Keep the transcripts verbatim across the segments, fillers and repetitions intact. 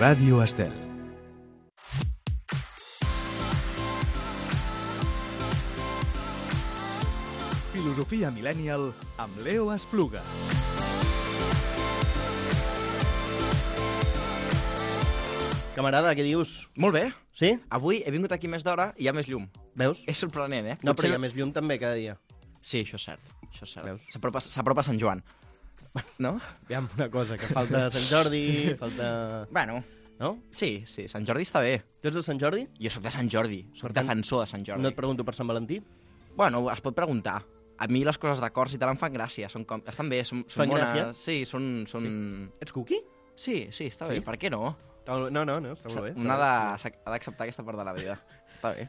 Ràdio Estel. Filosofia Millennial amb Leo Espluga. Camarada, què dius? Molt bé. Sí? Avui he vingut aquí més d'hora i hi ha més llum. Veus? És sorprenent, eh? No, però hi ha més llum també cada dia. Sí, això és cert. Això és cert. Veus? S'apropa s'apropa Sant Joan. No? Aviam, una cosa, que falta Sant Jordi, falta... Bueno, No? sí, sí, Sant Jordi està bé. Tu ets de Sant Jordi? Jo sóc de Sant Jordi, sóc Per tant, defensor de Sant Jordi. No et pregunto per Sant Valentí? Bueno, es pot preguntar. A mi les coses de cors i tal em fan gràcia. Són com... Estan bé, són, són Fan bones. gràcia? Sí, són... són... Ets cookie? Sí, sí, està Sí? bé. Per què no? No, no, no, està molt bé. Un ha de- ha d'acceptar aquesta part de la vida. Està bé.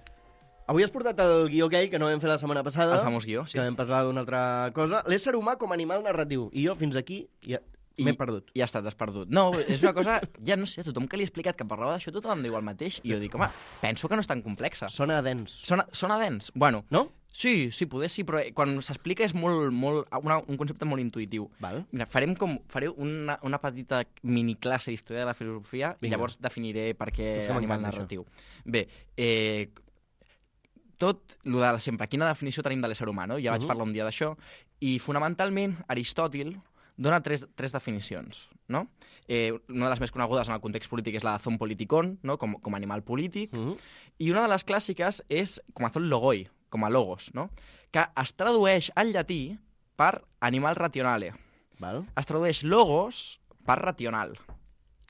Avui has portat el guió aquell que no vam fer la setmana passada. El famós guió, sí. Que vam parlar d'una altra cosa. L'ésser humà com a animal narratiu. I jo fins aquí ja I- m'he perdut. I ja està, t'has perdut. No, és una cosa... Ja no sé, a tothom que li he explicat que parlava d'això, tothom em diu el mateix. I jo dic, home, penso que no és tan complexa. Sona dens. Sona, sona dens? Bueno, No? sí, sí, poder sí, però quan s'explica és molt, molt, una, un concepte molt intuïtiu. Val. Mira, farem com, faré una, una petita miniclasse d'història de la filosofia i Vinga. llavors definiré per què És que animal m'encanta, narratiu. Bé, eh, tot el de sempre, quina definició tenim de l'ésser humà, no? Ja vaig Mhm. parlar un dia d'això, i fonamentalment Aristòtil dona tres, tres definicions, no? Eh, una de les més conegudes en el context polític és la de zoon politikon, no? com, com a animal polític, Mm -hmm. i una de les clàssiques és com a zoon logoi, com a logos, no? Que es tradueix al llatí per animal rationale. Val. Es tradueix logos per racional.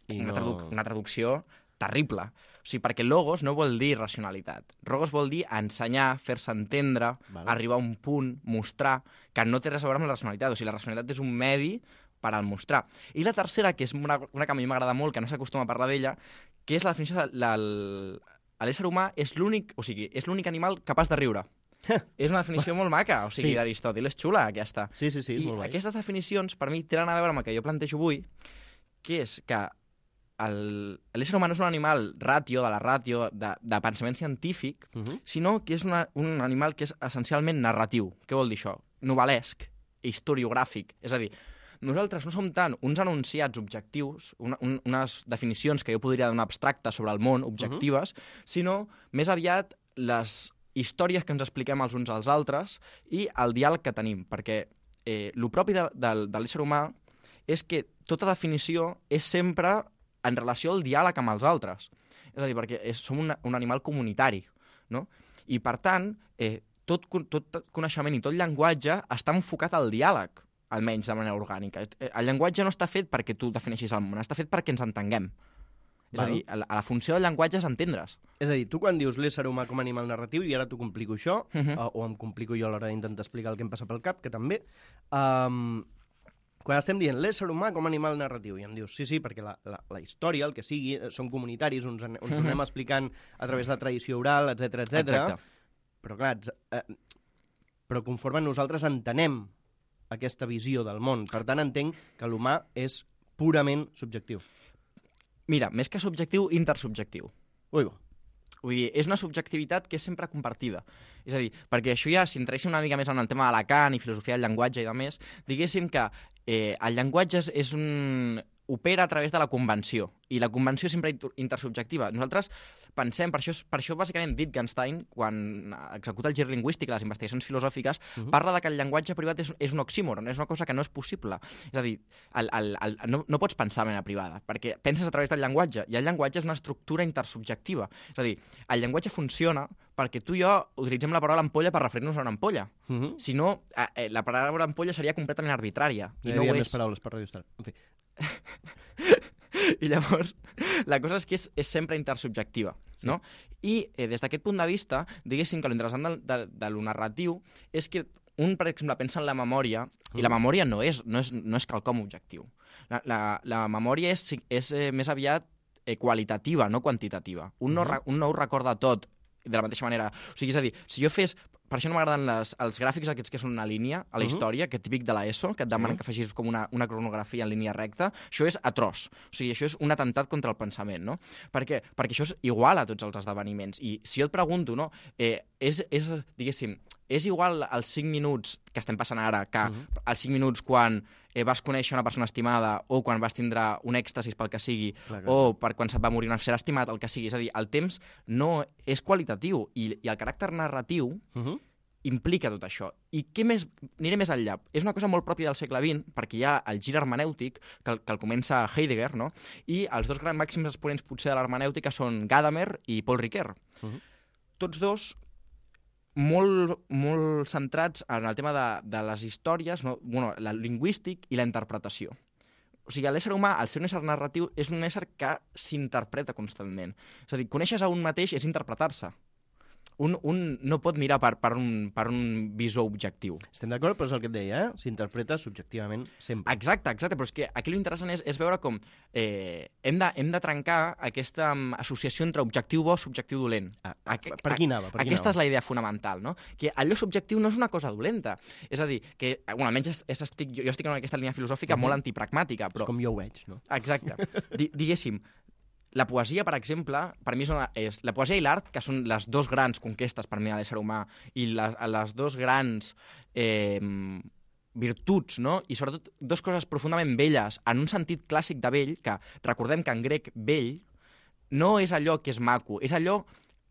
I Una, no... tradu una traducció terrible. O sigui, perquè logos no vol dir racionalitat. Logos vol dir ensenyar, fer-se entendre, Val. arribar a un punt, mostrar, que no té res a veure amb la racionalitat. O sigui, la racionalitat és un medi per al mostrar. I la tercera, que és una, una que a mi m'agrada molt, que no s'acostuma a parlar d'ella, que és la definició de la- l'ésser humà és l'únic, o sigui, és l'únic animal capaç de riure. És una definició molt maca, o sigui, Sí. d'Aristòtil, és xula, aquesta. Sí, sí, sí, és I molt guai. aquestes definicions, per mi, tenen a veure amb el que jo plantejo avui, que és que el- l'ésser humà no és un animal ràtio, de la ràtio, de, de pensament científic, Mm -hmm. sinó que és una, un animal que és essencialment narratiu. Què vol dir això? Novel·lesc, historiogràfic. És a dir, nosaltres no som tant uns enunciats objectius, una, un, unes definicions que jo podria donar abstractes sobre el món, objectives, uh -huh. sinó més aviat les històries que ens expliquem els uns als altres i el diàleg que tenim, perquè eh, el propi de, de, de l'ésser humà és que tota definició és sempre en relació al diàleg amb els altres. És a dir, perquè és, som un, un animal comunitari, no? I, per tant, eh, tot, tot coneixement i tot llenguatge està enfocat al diàleg, almenys de manera orgànica. El llenguatge no està fet perquè tu defineixis el món, està fet perquè ens entenguem. És Val. a dir, la, la funció del llenguatge és entendre's. És a dir, tu quan dius l'ésser humà com a animal narratiu, i ara t'ho complico això, Mhm. uh, o em complico jo a l'hora d'intentar explicar el que em passa pel cap, que també, um, quan estem dient l'ésser humà com a animal narratiu, i em dius, sí, sí, perquè la, la, la història, el que sigui, eh, són comunitaris, uns, an- uns ho anem explicant a través de la tradició oral, etc etc. Exacte. Però clar, ets, eh, però conforme nosaltres entenem aquesta visió del món, per tant entenc que l'humà és purament subjectiu. Mira, més que subjectiu, intersubjectiu. Ui, bo. Vull dir, és una subjectivitat que és sempre compartida. És a dir, perquè això ja, si entréssim una mica més en el tema de Lacan i filosofia del llenguatge i de més, diguéssim que eh, el llenguatge és, és un... opera a través de la convenció, i la convenció és sempre inter- intersubjectiva. Nosaltres pensem, per això, és- per això bàsicament Wittgenstein, quan executa el gir lingüístic, les investigacions filosòfiques, Mhm. parla de que el llenguatge privat és, és un oxímoron, és una cosa que no és possible. És a dir, el, el, el, no, no pots pensar de manera privada, perquè penses a través del llenguatge, i el llenguatge és una estructura intersubjectiva. És a dir, el llenguatge funciona perquè tu i jo utilitzem la paraula ampolla per referir-nos a una ampolla. Uh -huh. Si no, eh, la paraula ampolla seria completament arbitrària, i Hi no havia ho més és. paraules per Radio Star. En fi. I llavors, la cosa és que és, és sempre intersubjectiva, Sí. no? I eh, des d'aquest punt de vista, diguéssim que l'interessant de, de, de lo narratiu és que un, per exemple, pensa en la memòria, i la memòria no és, no és, no és quelcom objectiu. La, la, la memòria és, és eh, més aviat eh, qualitativa, no quantitativa. Un, no, Mhm. re- un no ho recorda tot de la mateixa manera. O sigui, és a dir, si jo fes... Per això no m'agraden les- els gràfics aquests que són una línia a la Mhm. història, que típic de l'ESO, que et demanen Mhm. que facis com una, una cronografia en línia recta. Això és atroç. O sigui, això és un atemptat contra el pensament, no? Per què? Perquè això és igual a tots els esdeveniments. I si jo et pregunto, no? Eh, és, és, diguéssim, és igual als cinc minuts que estem passant ara, que Mhm. als cinc minuts quan eh, vas conèixer una persona estimada o quan vas tindre un èxtasis pel que sigui, Clar, clar, o per quan se't va morir un ser estimat, el que sigui. És a dir, el temps no és qualitatiu i, i el caràcter narratiu Mhm. implica tot això. I què més? Aniré més enllà. És una cosa molt pròpia del segle vint, perquè hi ha el gir hermenèutic, que, el- que el comença Heidegger, no? I els dos grans màxims exponents potser de l'hermenèutica són Gadamer i Paul Ricoeur. Mhm. Tots dos molt, molt centrats en el tema de, de les històries, no? Bueno, la lingüístic i la interpretació. O sigui, l'ésser humà, al ser un ésser narratiu, és un ésser que s'interpreta constantment. És a dir, conèixer a un mateix és interpretar-se. Un, un no pot mirar per, per, un, per un visor objectiu. Estem d'acord, però és el que et deia, eh? S'interpreta subjectivament sempre. Exacte, exacte, però és que aquí l'interessant és, és veure com eh, hem, de, hem de trencar aquesta um, associació entre objectiu bo i subjectiu dolent. Ah, ah, Aqu- per aquí anava, per aquí Aquesta és anava. la idea fonamental, no? Que allò subjectiu no és una cosa dolenta. És a dir, que, bueno, almenys és, és estic, jo, jo estic en aquesta línia filosòfica Mhm. molt antipragmàtica, És però... com jo ho veig, no? Exacte. Di, diguéssim, la poesia, per exemple, per mi és, una, és la poesia i l'art, que són les dos grans conquestes per mi de l'ésser humà, i les, les dos grans eh, virtuts, no? I sobretot dues coses profundament velles, en un sentit clàssic de vell, que recordem que en grec vell no és allò que és maco, és allò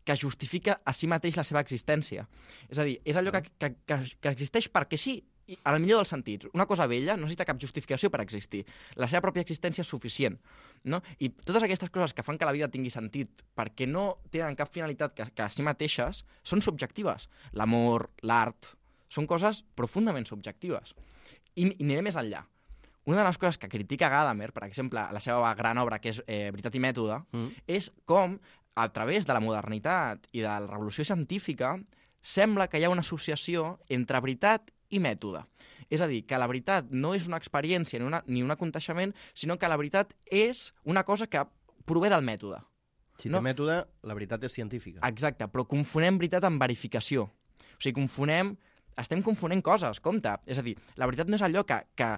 que justifica a si mateix la seva existència. És a dir, és allò que, que, que, que existeix perquè sí, i en el millor dels sentits. Una cosa vella no necessita cap justificació per existir. La seva pròpia existència és suficient. No? I totes aquestes coses que fan que la vida tingui sentit perquè no tenen cap finalitat que, que a si mateixes són subjectives. L'amor, l'art, són coses profundament subjectives. I, i aniré més enllà. Una de les coses que critica Gadamer, per exemple, a la seva gran obra, que és eh, Veritat i mètode, Mm. és com, a través de la modernitat i de la revolució científica, sembla que hi ha una associació entre veritat i mètode. És a dir, que la veritat no és una experiència ni, una, ni un aconteixement, sinó que la veritat és una cosa que prové del mètode. Si No. té mètode, la veritat és científica. Exacte, però confonem veritat amb verificació. O sigui, confonem... Estem confonent coses, compte. És a dir, la veritat no és allò que... que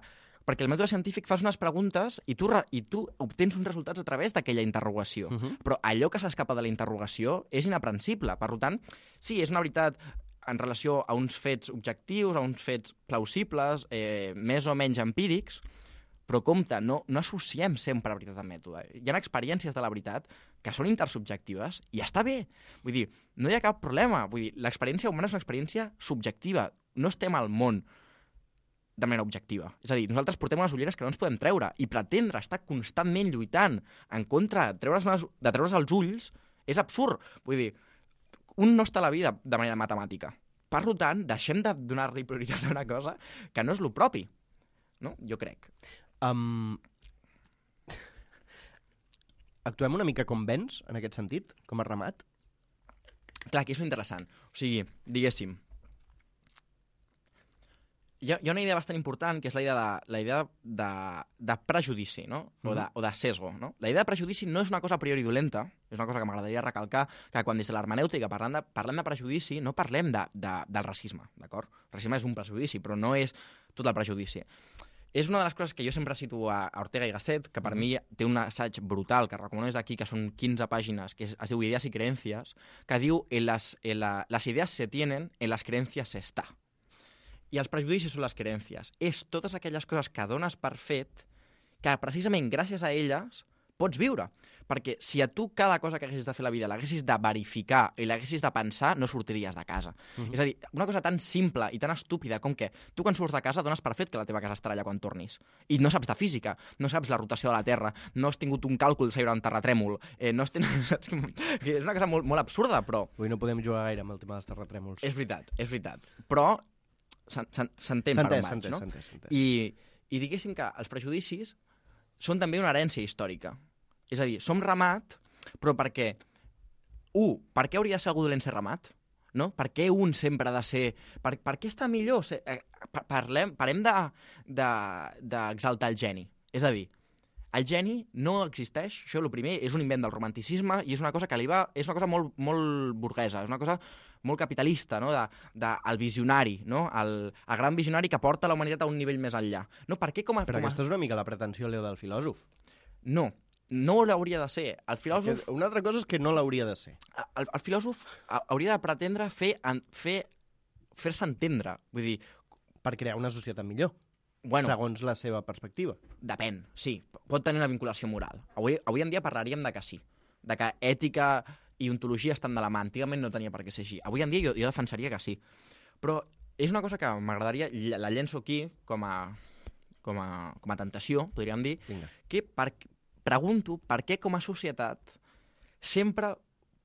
perquè el mètode científic fas unes preguntes i tu, re, i tu obtens uns resultats a través d'aquella interrogació. Uh -huh. Però allò que s'escapa de la interrogació és inaprensible. Per tant, sí, és una veritat en relació a uns fets objectius, a uns fets plausibles, eh, més o menys empírics, però compte, no, no associem sempre veritat amb mètode. Hi ha experiències de la veritat que són intersubjectives i està bé. Vull dir, no hi ha cap problema. Vull dir, l'experiència humana és una experiència subjectiva. No estem al món de manera objectiva. És a dir, nosaltres portem unes ulleres que no ens podem treure i pretendre estar constantment lluitant en contra de treure's, unes, de treure's els ulls és absurd. Vull dir, un no està a la vida de manera matemàtica. Per tant, deixem de donar-li prioritat a una cosa que no és lo propi. No? Jo crec. Um... Actuem una mica com vens, en aquest sentit, com a remat? Clar, aquí és interessant. O sigui, diguéssim, hi ha, hi ha una idea bastant important, que és la idea de, la idea de, de prejudici, no? O de, o de sesgo, no? La idea de prejudici no és una cosa a priori dolenta, és una cosa que m'agradaria recalcar, que quan des de l'hermenèutica parlem de, parlem de prejudici, no parlem de, de, del racisme, d'acord? El racisme és un prejudici, però no és tot el prejudici. És una de les coses que jo sempre cito a Ortega i Gasset, que per mi té un assaig brutal, que recomano des d'aquí, que són quinze pàgines, que es, es diu Ideas y Creencias, que diu en las, en la, las ideas se tienen, en las creencias se está. I els prejudicis són les creencies. És totes aquelles coses que dones per fet que precisament gràcies a elles pots viure. Perquè si a tu cada cosa que haguessis de fer a la vida l'haguessis de verificar i l'haguessis de pensar, no sortiries de casa. Uh-huh. És a dir, una cosa tan simple i tan estúpida com que tu quan surts de casa dones per fet que la teva casa estarà allà quan tornis. I no saps de física, no saps la rotació de la Terra, no has tingut un càlcul de saber un terratrèmol, eh, no has tingut... és una cosa molt, molt absurda, però... Avui no podem jugar gaire amb el tema dels terratrèmols. És veritat, és veritat. Però s'entén per on vaig, s'entès, no? s'entès, s'entès. I, I diguéssim que els prejudicis són també una herència històrica. És a dir, som ramat, però perquè... Un, per què hauria de ser algú dolent ser ramat? No? Per què un sempre ha de ser... Per, per què està millor? Ser... Parlem, parem d'exaltar de, de, el geni. És a dir, el geni no existeix, això és el primer, és un invent del romanticisme i és una cosa que li va... És una cosa molt, molt burguesa, és una cosa molt capitalista, no? de, de, el visionari, no? el, el gran visionari que porta la humanitat a un nivell més enllà. No, per què com a, Però com a... aquesta és una mica la pretensió, Leo, del filòsof. No, no l'hauria de ser. El filòsof... Que una altra cosa és que no l'hauria de ser. El, el filòsof hauria de pretendre fer, fer, fer-se entendre. Vull dir... Per crear una societat millor, bueno, segons la seva perspectiva. Depèn, sí. Pot tenir una vinculació moral. Avui, avui en dia parlaríem de que sí. De que ètica i ontologia estan de la mà. Antigament no tenia per què ser així. Avui en dia jo, jo defensaria que sí. Però és una cosa que m'agradaria, la llenço aquí com a, com a, com a tentació, podríem dir, Vinga. que per, pregunto per què com a societat sempre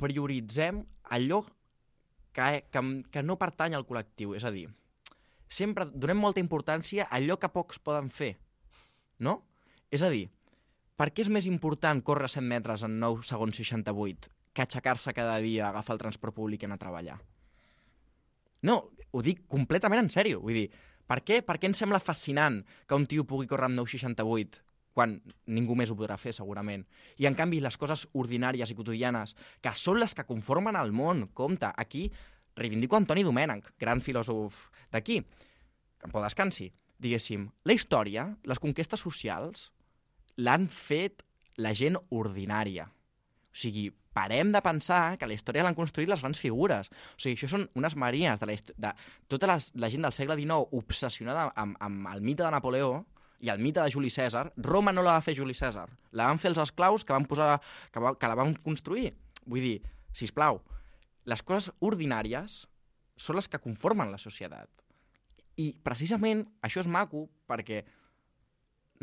prioritzem allò que, que, que no pertany al col·lectiu. És a dir, sempre donem molta importància a allò que pocs poden fer, no? És a dir, per què és més important córrer cent metres en nou segons seixanta-vuit que aixecar-se cada dia, agafar el transport públic i anar a treballar? No, ho dic completament en sèrio. Vull dir, per què, per què ens sembla fascinant que un tio pugui córrer amb nou seixanta-vuit quan ningú més ho podrà fer, segurament? I, en canvi, les coses ordinàries i quotidianes, que són les que conformen el món, compte, aquí reivindico Antoni Domènech, gran filòsof d'aquí, que en pau descansi, diguéssim, la història, les conquestes socials, l'han fet la gent ordinària. O sigui, parem de pensar que la història l'han construït les grans figures. O sigui, això són unes maries de, la, de tota la, la gent del segle dinou obsessionada amb, amb el mite de Napoleó i el mite de Juli Cèsar. Roma no la va fer Juli Cèsar, la van fer els esclaus que, van posar, que, va, que la van construir. Vull dir, sisplau, les coses ordinàries són les que conformen la societat. I precisament això és maco perquè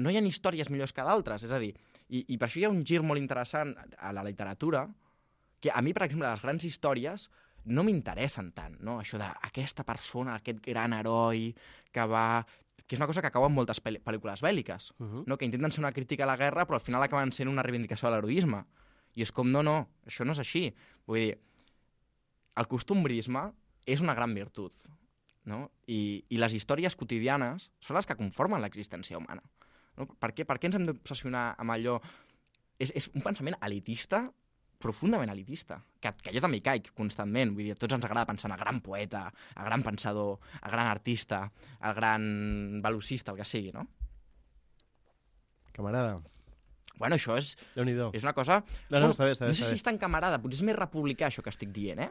no hi ha històries millors que d'altres. És a dir, i, i per això hi ha un gir molt interessant a la literatura, que a mi, per exemple, les grans històries no m'interessen tant, no? Això d'aquesta persona, aquest gran heroi que va... que és una cosa que acaba en moltes pel·li pel·lícules bèl·liques, uh -huh. no? Que intenten ser una crítica a la guerra, però al final acaben sent una reivindicació de l'heroisme. I és com, no, no, això no és així. Vull dir, el costumbrisme és una gran virtut, no? I, i les històries quotidianes són les que conformen l'existència humana. No? Per què, per què ens hem d'obsessionar amb allò? És, és un pensament elitista, profundament elitista, que, que jo també hi caic constantment. Vull dir, a tots ens agrada pensar en el gran poeta, el gran pensador, el gran artista, el gran velocista, el que sigui, no? Camarada. Bueno, això és, Déu-n'hi-do. és una cosa... No, no, bueno, està bé, està bé. no sé està si bé. és tan camarada, potser és més republicà això que estic dient, eh?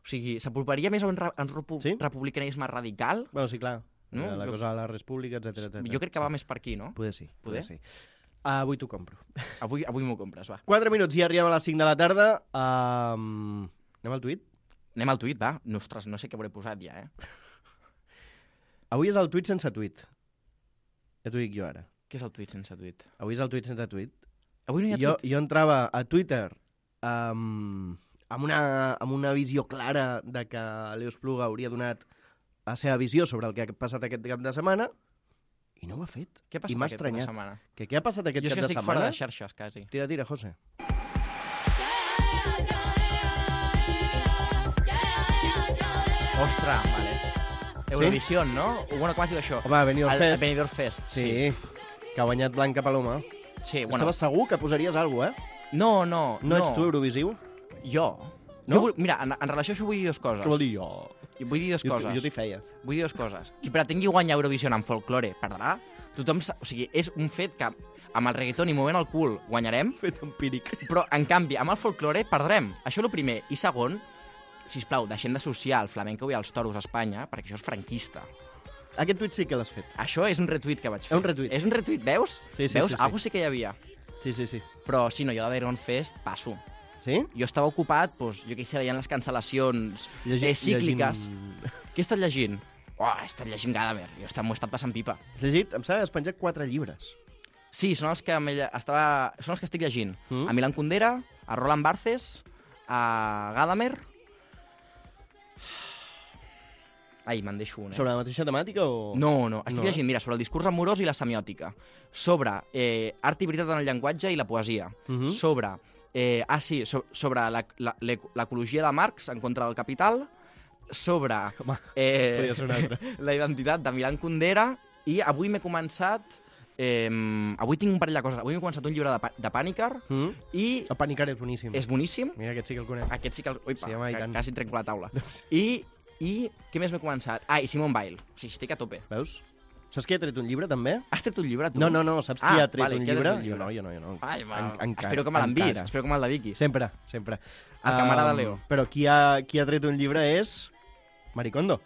O sigui, s'aproparia més a un, re un repu Sí? republicanisme radical? Bueno, sí, clar. No? La Jo- cosa de la república, etcètera, etcètera. Jo crec que va més per aquí, no? Poder sí, Poder? poder sí. Uh, avui t'ho compro. Avui, avui m'ho compres, va. quatre minuts i arribem a les cinc de la tarda. Um, anem al tuit? Anem al tuit, va. Ostres, no sé què hauré posat ja, eh? Avui és el tuit sense tuit. Ja t'ho dic jo ara. Què és el tuit sense tuit? Avui és el tuit sense tuit. Avui no hi ha Jo, tuit. jo entrava a Twitter um, amb, una, amb una visió clara de que Leo Espluga hauria donat la seva visió sobre el que ha passat aquest cap de setmana i no ho ha fet. Què ha I m'ha passat aquest cap de estranyat. setmana? Que què ha passat aquest Jo és cap que de estic setmana? fora de xarxes, quasi. Tira, tira, José. Ostres, vale. Eurovision, no? Bueno, com es diu això? Home, Benidorm El- el Fest. Benidorm Fest, Sí, que ha guanyat Blanca Paloma. Sí, Bueno. bueno. Estaves segur que posaries alguna cosa, eh? No, no, No, no. ets tu Eurovisiu? Jo. No? Jo vull, mira, en, en relació a això vull dir dues coses. Què vol dir jo? Vull dir dues Jo, coses. jo t'hi feia. Vull dir dues coses. Qui pretengui guanyar Eurovision en folklore perdrà. Tothom sa... O sigui, és un fet que amb el reggaeton i movent el cul guanyarem, Fet empíric. però, en canvi, amb el folklore perdrem. Això és el primer. I segon, sisplau, deixem d'associar el flamenco i els toros a Espanya, perquè això és franquista. Aquest tuit sí que l'has fet. Això és un retuit que vaig fer. És un retuit. És un retuit, veus? Sí, sí, veus? sí, sí. Algo sí que hi havia. Sí, sí, sí. Però, sí, no, jo de Benidorm Fest passo. Sí? Jo estava ocupat, doncs, jo què sé, veient les cancel·lacions Llegi- eh, cícliques. llegint- Què he estat llegint? Oh, he estat llegint Gadamer. Jo estat- m'ho he estat passant pipa. Has llegit? Em sembla que has penjat quatre llibres. Sí, són els que, me- estava... són els que estic llegint. Mm. A Milan Kundera, a Roland Barthes, a Gadamer... Ai, me'n deixo un, eh? Sobre la mateixa temàtica o...? No, no, estic No, no, eh? llegint, mira, sobre el discurs amorós i la semiòtica, sobre eh, art i veritat en el llenguatge i la poesia, Mhm. sobre, eh, ah sí, so, sobre la- la- l'ec- l'ecologia de Marx en contra del capital, sobre Home, eh, podria ser un altre. la identitat de Milan Kundera, i avui m'he començat, eh, avui tinc un parell de coses, avui m'he començat un llibre de, Pa- de Pànicar, Mm? i El Panicar és boníssim. és boníssim, Mira, aquest sí que el conec. aquest sí que... El... Uipa, Sí, home, i que, tant. quasi trenco la taula. I, I què més m'he començat? Ah, i Simone Weil. O sigui, estic a tope. Veus? Saps qui ha tret un llibre, també? Has tret un llibre, tu? No, no, no, saps Ah, qui ha tret vale, un qui ha tret llibre? un llibre? Jo no, jo no, jo no. Ai, va, En- encara, espero que me l'envies, encara. espero que me'l dediquis. Sempre, sempre. El camarada Um, Leo. Però qui ha, qui ha tret un llibre és Maricondo.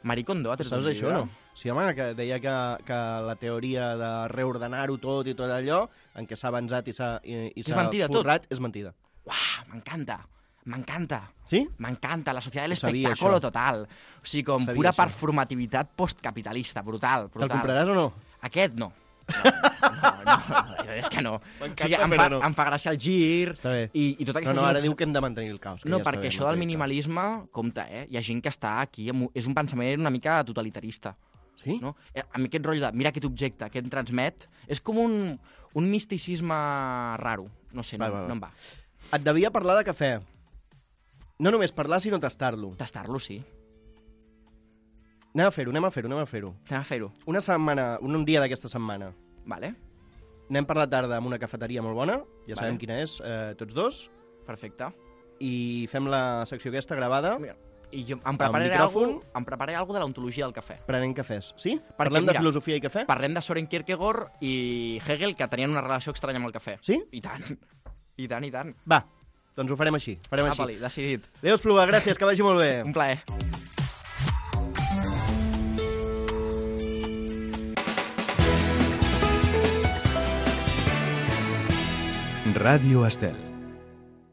Maricondo ha tret Saps un això, llibre. no? Sí, home, que deia que, que la teoria de reordenar-ho tot i tot allò, en què s'ha avançat i s'ha i, i És s'ha mentida, tot. forrat, és mentida. Uah, m'encanta, m'encanta. Sí? M'encanta, la societat de Ho sabia, l'espectáculo això. total. O sigui, com Sabia pura això. performativitat postcapitalista, brutal, Te'l brutal. compraràs o no? Aquest no. No, no, no, no, és que no. M'encanta, O sigui, em, però fa, no. em fa gràcia el gir Està bé. i, i tota No, aquesta no, ara gent... diu que hem de mantenir el caos. Que No, ja està perquè bé, això del mantenir el minimalisme, compte, eh? Hi ha gent que està aquí, amb- és un pensament una mica totalitarista. caos. Sí? No? Eh, A mi aquest rotllo de mira aquest objecte que em transmet és com un, un misticisme raro. No sé, no, Va, va, va. no em va. Et devia parlar de cafè. No només parlar, sinó tastar-lo. Tastar-lo, sí. Anem a fer-ho, anem a fer-ho, anem a fer-ho. Anem a fer-ho. Una setmana, un, un dia d'aquesta setmana, Vale? anem per la tarda amb una cafeteria molt bona, ja Vale. sabem quina és, eh, tots dos, Perfecte. i fem la secció aquesta gravada, Mira, I jo em prepararé micròfon. algo, em prepararé algo de l'ontologia del cafè. prenent cafès. Sí? Parlem mira, de filosofia i cafè? Parlem de Soren Kierkegaard i Hegel, que tenien una relació estranya amb el cafè. Sí? I tant. I tant, i tant. Va, doncs ho farem així. Farem així. Apa-li, decidit. Adéu, Espluga, gràcies, que vagi molt bé. Un plaer. Ràdio Estel.